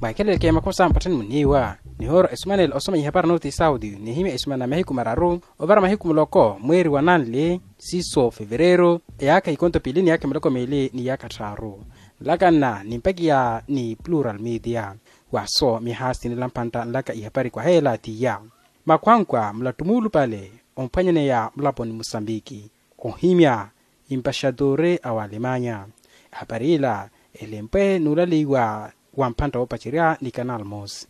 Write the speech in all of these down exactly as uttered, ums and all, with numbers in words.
Mwaakheleleke makhosa mpatthani muniiwa nihoora esumanela osoma ihapari nooti saudi nihimya esumana mahiku mararu ovara mahiku muloko mweeri wa nanli siiso fevereru eyaakha ikonto piili ni yaakha miloko miili ni yaakha tthaaru. Nlakanna nimpakiya ni plural media. Waaso mihaasi nila mpantta nlaka ihapari kwaheela tiya makhwankwa mulatu muulupale omphwanyaneya mulaponi musambiki ohimya impaxatore a walemanya. Ehapari ila elempwe nuulaleiwa wa mphantta woopacerya ni kanal mos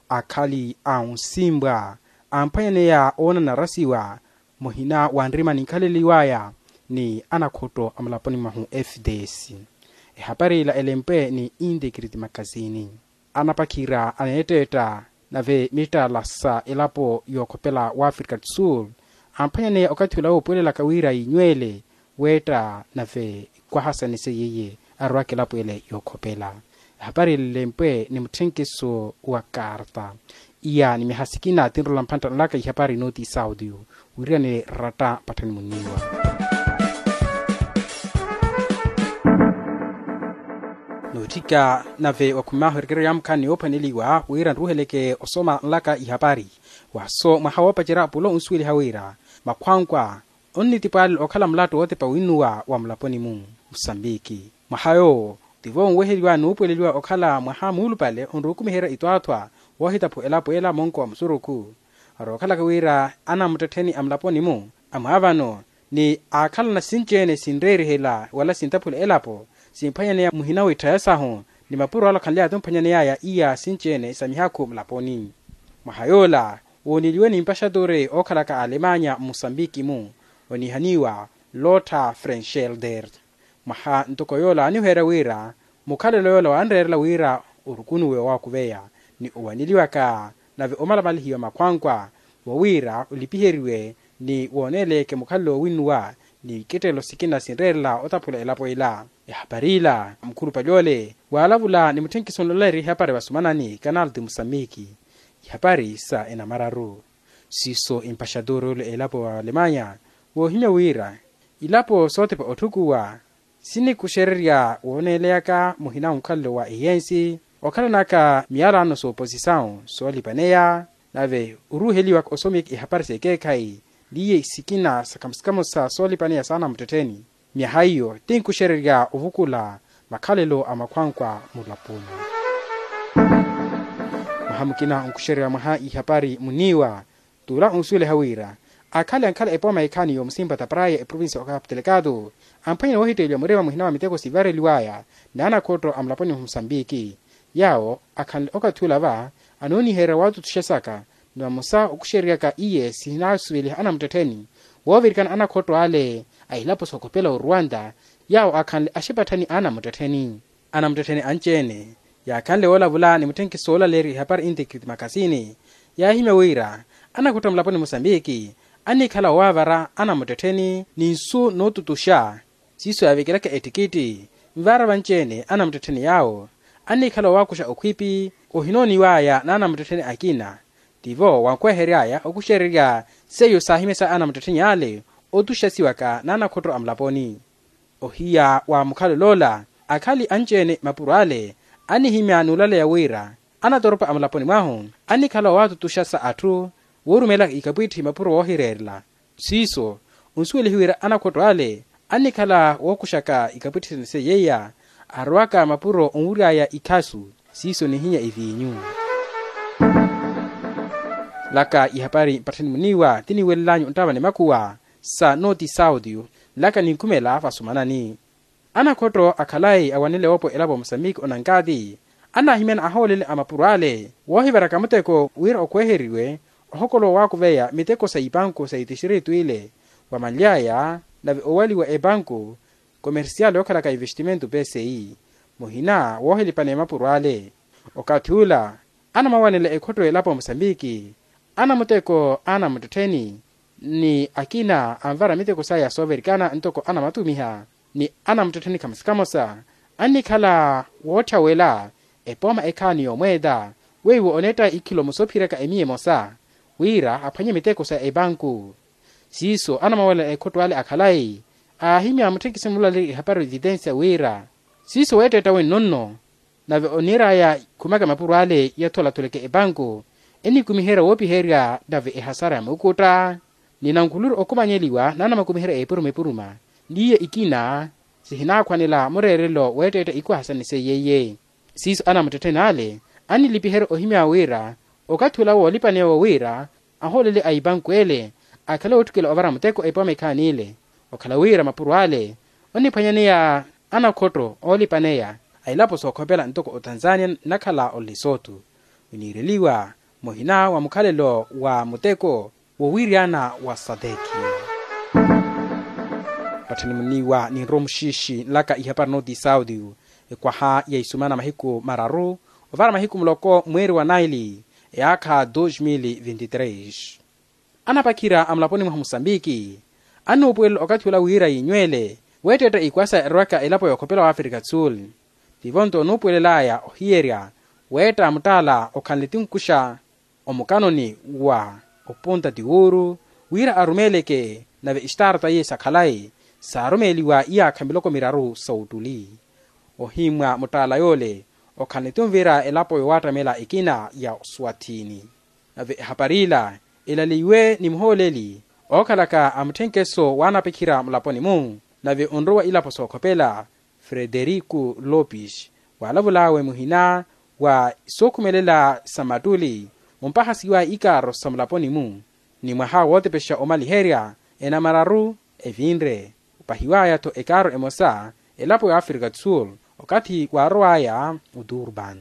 akhali a onsimbwa amphwanyaneya oona narasiwa muhina wa nrima ninkhaleliwaya ni anakhotto a mulaponi mwahu fds. Ehapari ila elempwe ni integrity makasini anapakhira aneetteetta nave mittala sa elapo yookhopela wa africa do sul amphwanyaneya okathi ula woopuwelelaka wira yiinywele weetta nave kwahasanise yeiye arwaka elapo ele yookhopela. Ehapari elilempwe ni mutthenkiso wa karta iya ni mihasikina tinrola mphantta nlaka ihapari nooti saudi. Wiiriyani ratta patthani muniiwa nootthika nave wakhumimahu erekeryo ya mukhaani yoophwaneliwa wira nruuheleke osoma nlaka ihapari. Waaso mwaha woopacerya pulo onsuweliha wira makhwankwa onnitipwaalela okhala mulattu wootepa winnuwa wa mulaponi-mu musambiki. Mwaha yoowo tivo onweheliwa nuupuweleliwa okhala mwaha muulupale onruukumiherya itwaathwa woohitaphu elapo ela monko wa musurukhu. Arookhalaka wira anamuttettheni a mulaponi-mu amwaavano ni aakhalana sinci-ene sinreerihela wala sintaphula elapo simphwanyaneya muhina w'itthaya sahu ni mapuro ala akhanly'aya timphwanyaney'aya iya sinci-ene sa mihakhu mulaponi. Mwaha yoola wooneliwe ni mpaxatore ookhalaka alemanya mmusambiki-mu oniihaniwa lotta frenschelder. Mwaha ntoko yoola aniweherya wira mukhalelo yoola wanreerela wira orukunuwe owaakuveya ni owaneliwaka nave omalamalihiwa makhwankwa wowiira olipiheriwe ni wooneeleke mukhalelo woowinnuwa ni iketteelo sikina sinreerela otaphula elapo ela. Ehapari ila mukhulupale ole waalavula ni mutthenkiso onloleriha ihapari vasumanani kanal ti musamiki ihapari sa enamararu. Siiso empaxatore ole elapo wa alemanya woohimya wira ilapo sootepa otthukuwa sinikuxererya wooneeleyaka muhina onkhalelo wa eyensi okhalanaka miyalano sooposisawu soolipaneya nave oruuheliwaka osomika ihapari s'ekeekhayi liye sikina sa kamosa-kamosa soolipaneya saana muttettheni. Myaha iyo tinkuxererya ovukula makhalelo a makhwankwa mulaponi. Mwaha mukina onkuxererya mwaha ihapari muniiwa tuula onsuweliha wira akhale ankhala epooma ekhaani yoomusimpa taparaya eprovincia okapu telekatu amphwanyene woohitteeliwa murima muhina wa miteko sivareliwaya n'anakhotto a mulaponi mwa musambiki. Yaawo akhanle okathi ula va anoonihererya waatutuxa saka ni vamosa okuxereryaka iye sihinasuveliha anamuttettheni woovirikana anakhotto ale a ilapo sookhopela oruwanta yaawo akhanle axipatthani anamuttettheni. Anamuttettheni anci-ene yaakhanle woolavula ni mutthenkiso woolaleerya ihapari integrity makasini yaahimya wira anakhotto a mulaponi musambiki annikhala owaavara anamuttettheni ni nsu nootutuxa siiso yaavekelaka ettikitti nvaara vanci-ene anamuttettheni yaawo annikhala owaakuxa okhwipi ohinooniw'aya n'anamuttettheni akina. Tivo wankwehery'aya okuxererya seiyo saahimya sa anamuttettheni ale otuxasiwaka n'anakhotto a mulaponi. Ohiya wa mukhalelo ola akhali anci-ene mapuro ale annihimya n'ulaleya wira anatoropa a mulaponi mwahu annikhala owaatutuxa sa atthu woorumelaka ikapwitthi mapuro woohireerela. Siiso onsuwelihe wira anakhotto ale annikhala wookuxaka ikapwitthi sene seiyeiya arowaka mapuro onwury'aya ikhasu siiso nihinya eviinyu. Laka ihapari mpatthani muniiwa tiniiwelel'anyu nttava ni makhuwa sa nooti sauti. Laka ninkhumela vasumanani anakhotto akhalayi awanele oopo elapo musambiki onankati anahimyana ahoolele a mapuro ale woohivaraka muteko wira okhweeheriwe ohokolowa owaakuveya miteko sa ipanku sa itixiritu ile wamanly'aya nave owaliwa epanku komersiyali yookhalaka investimento pci muhina woohilipaneya mapuro ale. Okathi ula anamawanela ekhotto elapo musambiki anamuteko anamuttettheni ni akina anvara miteko saya soovirikana ntoko anamatumiha ni anamuttettheni khamosa-khamosa annikhala wootthawela epooma ekhaani yoomweeta weiwo oneetta ikhilo musoophiraka emiya emosa wira aphwanye miteko sa epanku. Siiso anamawelela ekhotto ale akhalayi aahimya mutthenkiso mulaleerya ihapari vitensia wira siiso weetteetta wenno nno Nave oniir'aya khumaka mapuro ale yatholatholeke epanku enikumiherya woopiherya nave ehasara ya muukutta. Ni nankhuluru okhumanyeliwa naanamakumiherya epuruma epuruma n'iye ikina sihinaakhwanela mureerelo weetteetta ikuhasani seiye iye. Siiso anamuttettheni ale annilipiherya ohimya wira okathi ola woolipaneya wowira ahoolele a ipanku ele akhale ootthukela ovara muteko epooma ekhaani ile. Okhala wira mapuro ale oniphwanyaneya anakhotto oolipaneya a ilapo sookhopela ntoko otanzania nnakhala olesotu winiireliwa muhina wa mukhalelo wa muteko wowiryana wa sadeki. Patthani muniiwa ninrowa muxiixi nlaka ihapari nooti saudio ekwaha ya isumana mahiku mararu ovara mahiku muloko mweeri wa naili eyaakha dos mil vinti tres. Anapakhira a mulaponi mwaha musambiki annuupuwelela okathi ola wira yiinywele weetteetta ikwasa erowaka elapo yookhopela wa afrika sul. Tivo nto onuupuwelel'aya ohiyerya weetta muttaala okhanle tinkuxa omukanoni wa opunta tiwuru wira arumeeleke nave estaarta iye sa khalayi saarumeeliwa iyaakha miloko miraru sa ottuli. Ohimmwa muttaala yoole okhanle tunvira elapo yoowattamela ekina ya oswathini. Nave ehapari ila elaleiwe ni muhooleli ookhalaka a mutthenkeso waanapakhira mulaponi-mu nave onrowa ilapo sookhopela frederiku lopes waalavul'awe muhina wa sookhumelela sa mattuli ompahasiwa ikaaro sa mulaponi-mu ni mwaha wootepexa omaliherya enamararu evinre opahiw'aya-tho ekaaro emosa elapo ya afrika sul okathi waarow'aya oturban.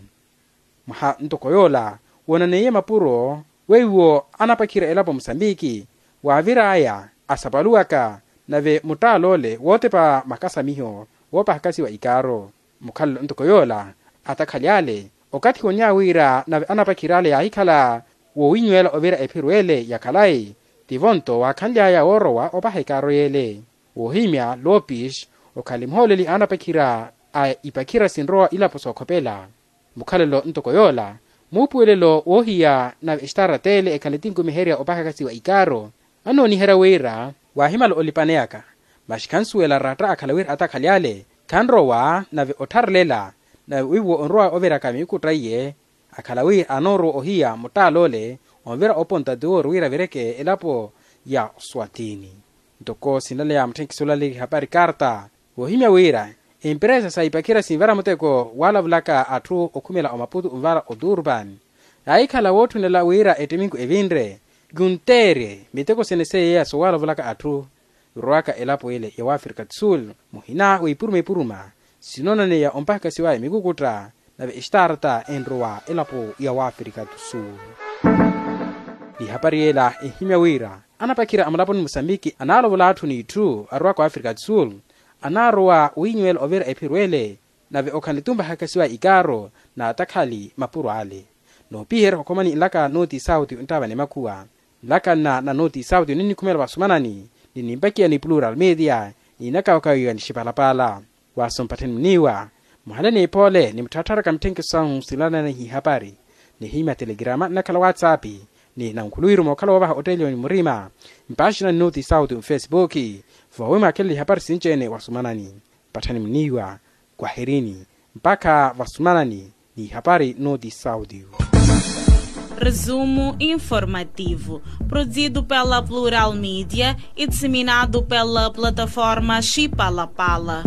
Mwaha ntoko yoola woonaneiye mapuro weiwo anapakhira elapo musambiki waavir'aya asapaluwaka nave muttaala ole wootepa makasamiho woopahakasiwa ikaaro. Mukhalelo ntoko yoola atakhali ale okathi woonya wira nave anapakhira ale yaahikhala woowinywela ovira ephiru ele ya khalayi tivo nto waakhanly'aya woorowa opaha ikaaro y'ele. Woohimya lopes okhali muhooleli a anapakhira a ipakhira sinrowa ilapo sookhopela. Mukhalelo ntoko yoola muupuwelelo woohiya nave exitaara t'ele ekhale tinkumiherya opahakasiwa ikaaro annooniherya wira waahimala olipaneyaka. Masi khansuwela ratta akhala wira atakhali ale khanrowa nave ottharelela nave wiiwo onrowa oviraka miikutta iye akhala wira anoorowa ohiya muttaala ole onvira oponta tiwuru wira avireke elapo ya oswathini. Ntoko sinlaleya mutthenkiso olaleya ihapari karta woohimya wira emperesa sa ipakhira sinvara muteko waalavulaka atthu okhumela omaputu onvara oturban yaahikhala wootthunela wira ettiminku evinre yunteerye miteko sene seiya sowaalavulaka atthu. Yorowaka elapo ile ya wafrika do sul muhina wa ipuruma ipuruma sinoonaneya ompahakasiwaya mikukutta nave exitaarata enrowa elapo ya wafrika do sul. Ni ihapari yela ehimya wira anapakhira a mulaponi musambiki anaalovola atthu n'itthu arowaka wafrika do sul anaarowa wiinywela ovira ephiru ele nave okhanle tumpahakasiwa ikaaro n'atakhali mapuro ale. Noopiherya okhomani nlaka nooti sauti onttaavani makhuwa nlaka nna na nooti sauti ninnikhumela vasumanani ni nimpakiya ni plural media ni inakawakawiwa ni xipalapala. Waaso mpattheni muniiwa muhale n'iphoole ni mutthattharaka mitthenkiso sahu sinlananiha ihapari nihimya telegrama nnakhala whatsapp ni nankhuluwiru mookhala woovaha otteeliwa ni murima mpaaxinani nooti sauti mfesipuki voowi mwaakhelele ihapari sinci-ene wasumanani. Patthani muniiwa kwaherini mpakha vasumanani ni ihapari nooti sauti. Resumo informativo produzido pela plural media e disseminado pela plataforma xipalapala.